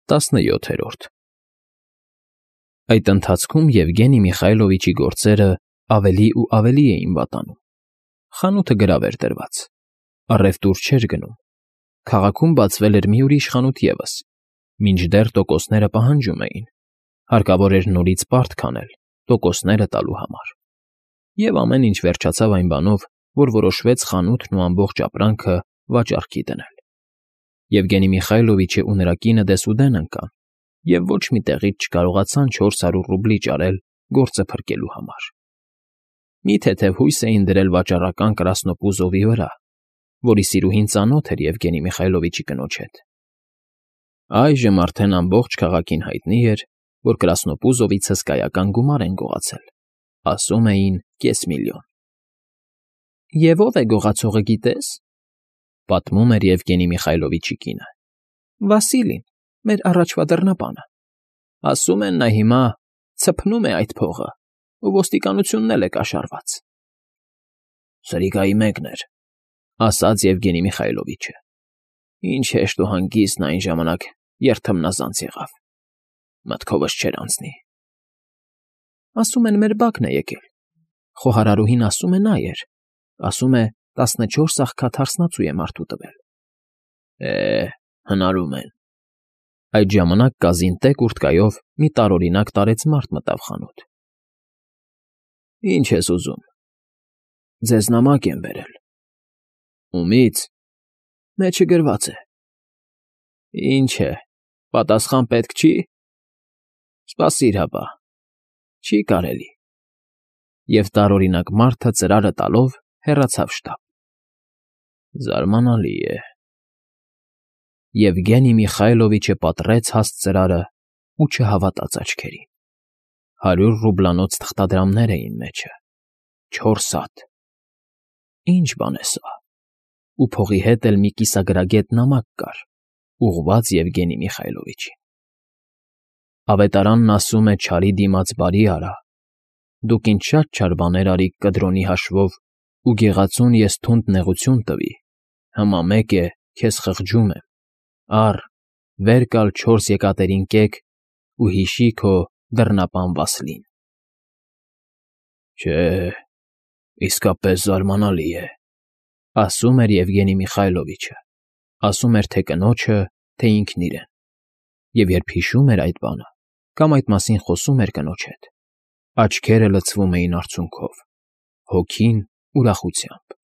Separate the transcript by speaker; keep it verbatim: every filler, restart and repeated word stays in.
Speaker 1: Տասնյոթերորդ Այդ ընթացքում Եվգենի Միխայլովիչի գործերը ավելի ու ավելի էին վատանում. խանութը գրավ էր դրված, առևտուր չէր գնում, քաղաքում բացվել էր մի ուրիշ խանութ ևս, մինչդեռ տոկոսները պահանջում էին, հարկավոր էր նորից պարտ քանել տոկոսները տալու համար, և ամեն ինչ վերջացավ այն բանով, որ որոշվեց խանութն ու ամբողջ ապրանքը վաճառքի դնել. Եվգենի Միխայլովիչն ու նրա կինը դեսուդեն ընկան և ոչ մի տեղից չկարողացան չորս հարյուր ռուբլի ճարել գործը փրկելու համար. Մի թեթև հույս էին դրել վաճառական Կրասնոպուզովի վրա, որի սիրուհին ծանոթ էր Եվգենի Միխայլովիչի կնոջ հետ. այժմ արդեն ամբողջ քաղաքին հայտնի էր, որ Կրասնոպուզովից հսկայական գումար են գողացել, ասում էին կես միլիոն։ «Եվ ո՞վ է գողացողը, գիտե՞ս,֊ պատմում էր Եվգենի Միխայլովիչի կինը,֊ Վասիլին, մեր առաջվա դռնապանը. ասում են նա հիմա ցփնում է այդ փողը ու ոստիկանությունն էլ է կաշառված»։ «Սրիկայի մեկն էր,֊ ասաց Եվգենի Միխայլովիչը,֊ ինչ հեշտ ու հանգիստ նա այն ժամանակ երթմնազանց եղավ, մտքովս չէր անցնի»։ «Ասում են մեր Բակն է եկել, խոհարարուհին ասում է նա էր, ասում է տասնչորս աղքատ հարսնացու է մարդու տվել»։ «Է, հնարում են»։ Այդ ժամանակ կազին տեկ ուրտկայով մի տարօրինակ տարեց մարդ մտավ խանութ։ «Ի՞նչ ես ուզում»։ «Ձեզ նամակ են բերել»։ «Ումի՞ց»։ «Մեջը գրված է»։ «Ինչ է, պատասխան պետք չի»։ «Սպասիր հապա, չի կարելի»։ Եվ տարօրինակ մարդը ծրարը տալով հեռացավ շտապ։ Զարմանալի է։ Եվգենի Միխայլովիչը պատռեց հաստ ծրարն ու չհավատաց աչքերին. հարյուր ռուբլանոց թղթադրամներ էին մեջը, չորս հատ։ Ի՞նչ բան է սա։ Ու փողի հետ էլ մի կիսագրագետ նամակ կար, ուղղված Եվգենի Միխայլովիչին։ Ավետարանն ասում է չարի դիմաց բարի արա, դուք ինձ շատ չար բաներ արիք կդրոնի հաշվով, ու գեղածուն ես թունդ նեղություն տվի, հիմա մեկ է, քեզ խղճում եմ, առ, վեր կալ չորս եկատերին կեք ու հիշի քո դռնապան Վասլին։ Չէ, իսկապես զարմանալի է,֊ ասում էր Եվգենի Միխայլովիչը, ասում էր թե կնոջը, թե ինքն իրեն, և երբ հիշում էր այդ բանը կամ այդ մասին խոսում էր կնոջ հետ, աչքերը լցվում էին արցունքով, հոգին՝ ուրախությամբ։